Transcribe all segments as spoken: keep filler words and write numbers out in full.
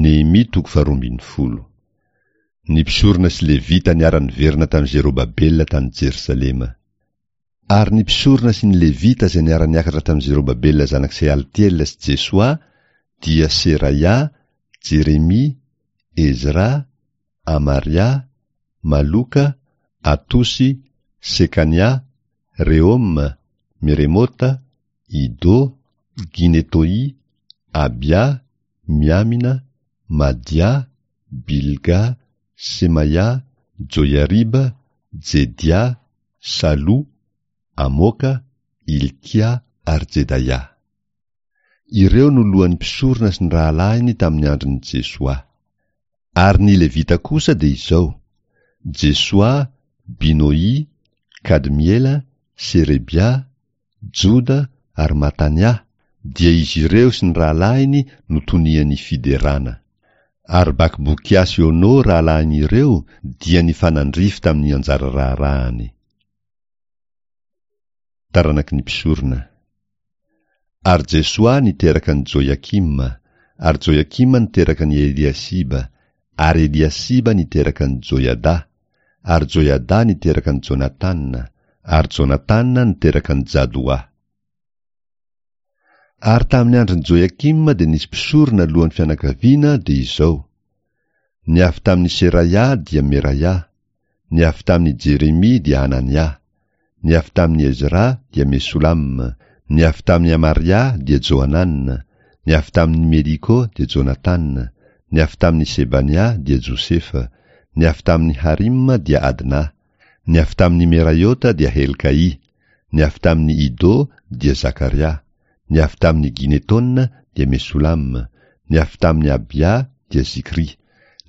Nehemia toko faharoa ambin'ny folo. Ny mpisorona sy Levita niara-niverina tamin'i Zerobabela tany Jerosalema. Ary ny mpisorona sy ny Levita izay niara-niakatra tamin'i Zerobabela zanak'i Sealtiela sy Jesoa dia Seraia, Jeremia, Ezra, Amaria, Maloka, Atosy, Sekania, Rehoma, Meremota, Ido, Ginetoi, Abia, Miamina, Madia, Bilga, Semaia, Joiariba, Jedia, Salo, Amoka, Ilkia ary Jedaia. Ireo no lohan'ny mpisorona sy ny rahalahiny tamin'ny andron'i Jesoa. Ary ny Levita kosa dia izao: Jesoa, Binoi, Kadmiela, Serebia, Joda ary Matania, dia izy ireo sy ny rahalahiny no tonian'ny fiderana. Ary Bakbokia sy Ono rahalahin'ireo dia nifanandrify tamin'ny anjara raharahany. Taranaky ny mpisorona. Ary Jesoa niteraka an'i Joiakima, ary Joiakima niteraka an'i Eliasiba, ary Eliasiba niteraka an'i Joiada, ary Joiada niteraka an'i Jonatana, ary Jonatana niteraka an'i Jadoa. Ary tamin'ny andron'i Joiakima dia nisy mpisorona lohan'ny fianakaviana dia izao: ny avy tamin'i Seraia dia Meraia, ny avy tamin'i Jeremia dia Anania, ny avy tamin'i Ezra dia Mesolama, ny avy tamin'i Amaria dia Johanana, ny avy tamin'i Meliko dia Jonatana, ny avy tamin'i Sebania dia Josefa, ny avy tamin'i Harima dia Adna, ny avy tamin'i Meraiota dia Helkai, ny avy tamin'i Ido dia Zakaria, ny avy tamin'i Ginetona dia Mesolama, ny avy tamin'i Abia dia Zikri,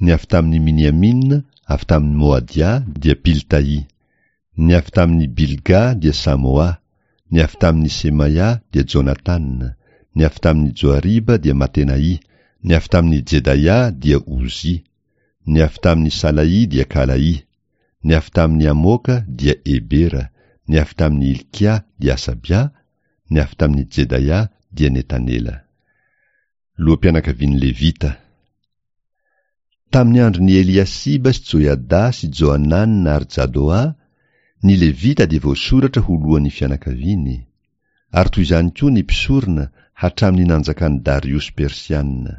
ny avy tamin'i Miniamina avy tamin'i Moadia dia Piltai, ny avy tamin'i Bilga dia Samoa, ny avy tamin'i Semaia dia Jonatana, ny avy tamin'i Joariba dia Matenai, ny avy tamin'i Jedaia dia Ozy, ny avy tamin'i Salai dia Kalai, ny avy tamin'i Amoka dia Ebera, ny avy tamin'i Ilkia dia Asabia, ny avy tamin'i Jedaia dia Netanela. Loham-pianakavian'ny Levita. Tamin'ny andron'i Eliasiba sy Joiada sy Johanana ary Jadoa, ny Levita dia voasoratra ho lohan'ny fianakaviany, ary toy izany koa ny mpisorona hatramin'ny nanjakan'i Dariosy Persiana.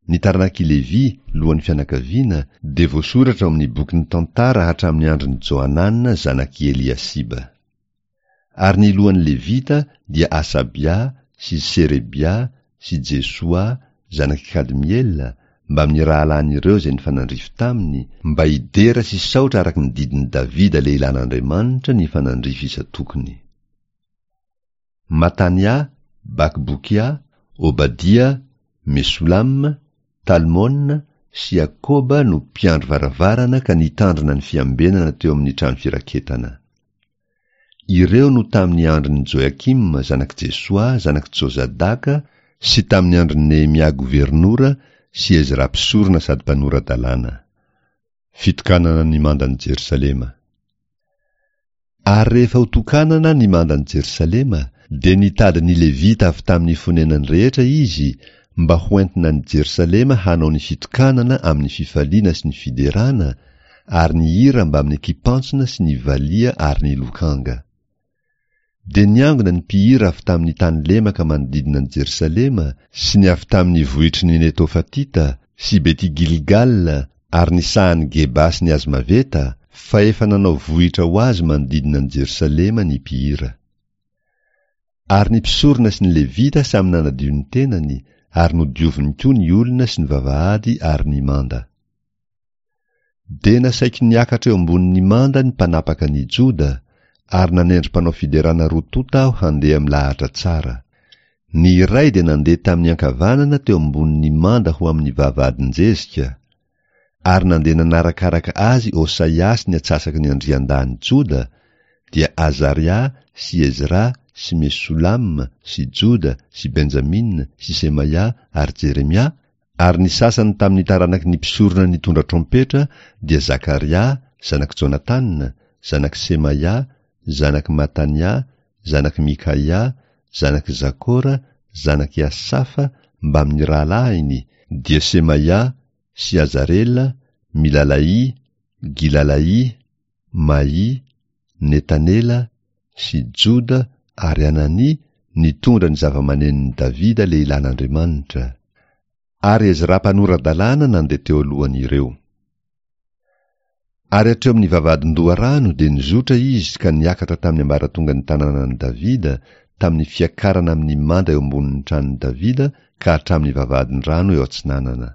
Ny taranak'i Levy, lohan'ny fianakaviana, dia voasoratra ao amin'ny bokin'ny tantara hatramin'ny andron'i Johanana zanak'i Eliasiba. Ary ny lohan'ny Levita dia Asabia sy Serebia sy Jesoa zanak'i Kadmiela mbamin'ny rahalahin'ireo izay nifanandrify taminy, mba hidera sy saotra araka ny didin'i Davida lehilahin'Andriamanitra nifanandrify isan-tokony. Matania, Bakbokia, Obadia, Mesolama, Talmona sy Akoba no mpiandry varavarana ka nitandrina ny fiambenana teo amin'ny trano firaketana. Ireo no tamin'ny andron'i Joiakima zanak'i Jesoa zanak'i Jozadaka sy tamin'ny andron'i Nehemia governora sy Ezra mpisorona sady mpanora-dalàna. Fitokanana ny mandan'i Jerosalema. Ary rehefa ho tokanana ny mandan'i Jerosalema, dia nitady ny Levita avy tamin'ny fonenany rehetra izy mba hoentina any Jerosalema hanao ny fitokanana amin'ny fifaliana sy ny fiderana ary ny hira mbamin'ny kipantsona sy ny valia ary ny lokanga. Dia niangona ny mpihira avy tamin'ny tany lemaka manodidina an'i Jerosalema sy ny avy tamin'ny vohitry ny Netofatita sy Beti-Gilgal ary ny sahan'i Geba sy ny Azmaveta, fa efa nanao vohitra ho azy manodidina an'i Jerosalema ny mpihira. Ary ny mpisorona sy ny Levita samy nanadio ny tenany ary nodioviny koa ny olona sy ny vavahady ary ny manda. Dia nasaiko niakatra eo ambonin'ny manda ny mpanapaka ny Joda, ary nanendry mpanao fiderana roa tonta aho handeha milahatra tsara. Ny iray dia nandeha tamin'ny ankavanana teo ambonin'ny manda ho amin'ny vavahadin-jezika, ary nandeha nanarakaraka azy Osaia sy ny atsasaky ny andriandahin'i Joda, dia Azaria sy Ezra sy Mesolama sy Joda sy Benjamina sy Semaia ary Jeremia, ary ny sasany tamin'ny taranaky ny mpisorona nitondra trompetra dia Zakaria zanak'i Jonatana, zanak'i Semaia, zanak'i Matania, zanak'i Mikaia, zanak'i Zakora, zanak'i Asafa, mbamin'ny rahalahiny, dia Semaia sy Azarela, Milalai, Gilalai, Maì, Netanela sy Joda ary Anania nitondra ny zava-manenon'i Davida lehilahin'Andriamanitra, ary Ezra mpanora-dalàna nandeha teo alohan'ireo. Ary hatreo amin'ny vavahadin-doharano dia nizotra izy ka niakatra tamin'ny ambaratongan'ny tanànan'i Davida, tamin'ny fiakarana amin'ny manda eo ambonin'ny tranon'i Davida ka hatramin'ny vavahadin-drano eo atsinanana.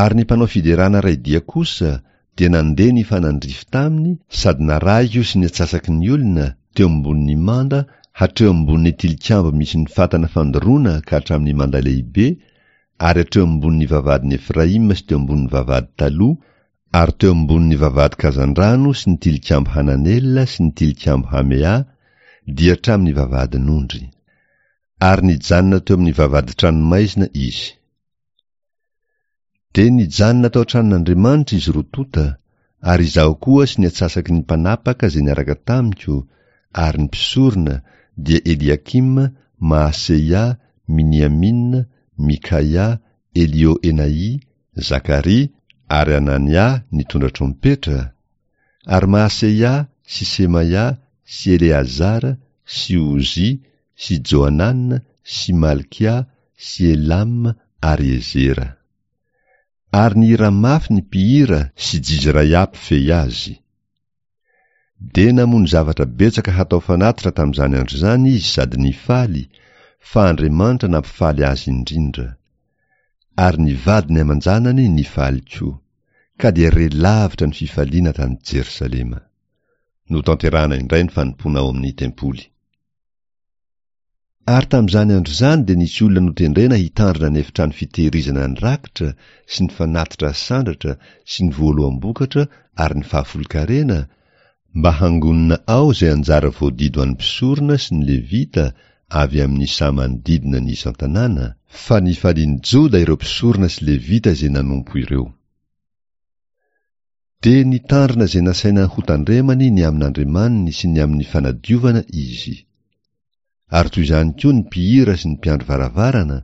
Ary ny mpanao fiderana iray dia kosa dia nandeha nifanandrify taminy sady narahiko sy ny antsasaky ny olona teo ambonin'ny manda hatreo ambonin'ny tilikambo misy ny fatana fandoroana ka hatramin'ny manda lehibe, ary hatreo ambonin'ny vavahadin'i Efraima sy teo ambonin'ny vavahady taloha, ary teo ambonin'ny vavahady kazandrano sy ny tilikambo Hananela sy ny tilikambo Hamea, dia hatramin'ny vavahadin'ondry. Ary nijanona teo amin'ny vavahadin-tranomaizina izy. Dia nijanona tao an-tranon'Andriamanitra izy roa tonta, ary izaho koa sy ny antsasaky ny mpanapaka izay niaraka tamiko, ary ny mpisorona, dia Eliakima, Maaseia, Miniamina, Mikaia, Elioenai, Zakaria ary Anania nitondra trompetra, ary Maaseia sy Semaia sy Eleazara sy Ozia sy Johanana sy Malkia sy Elam ary Ezera. Ary nihira mafy ny mpihira sy Jizraia mpifehy azy. Dia namono zavatra betsaka hatao fanatitra tamin'izany andro izany izy sady nifaly, fa Andriamanitra nampifaly azy indrindra. Ary ny vadiny aman-janany nifaly koa, ka dia re lavitra ny fifaliana tany Jerosalema. Notanterahana indray ny fanompoana ao amin'ny tempoly. Ary tamin'izany andro izany dia nisy olona notendrena hitandrina ny efitrano fitehirizana ny rakitra sy ny fanatitra asandratra sy ny voaloham-bokatra ary ny fahafolon-karena, mba hangonina ao izay anjara voadidy ho an'ny mpisorona sy ny levita avy amin'ny saha manodidina ny isan-tanàna, fa nifalian'i Joda ireo mpisorona sy levita izay nanompo ireo. Dia nitandrina izay nasaina hotandremany ny amin'Andriamaniny sy ny amin'ny fanadiovana izy. Ary toy izany koa ny mpihira sy ny mpiandry varavarana,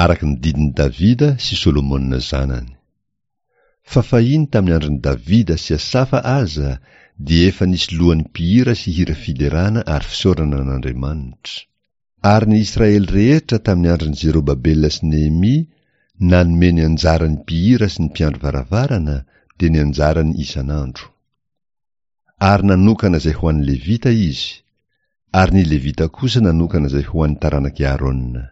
araka ny didin'i Davida sy Solomona zanany. Fa fahiny tamin'ny andron'i Davida sy Asafa aza dia efa nisy lohan'ny mpihira sy hira fiderana ary fisaorana an'Andriamanitra. Ary ny Israely rehetra tamin'ny andron'i Zerobabela sy Nehemia nanome ny anjaran'ny mpihira sy ny mpiandry varavarana, dia ny anjarany isan'andro. Ary nanokana izay ho an'ny Levita izy, ary ny Levita kosa nanokana izay ho an'ny taranak'i Aarona.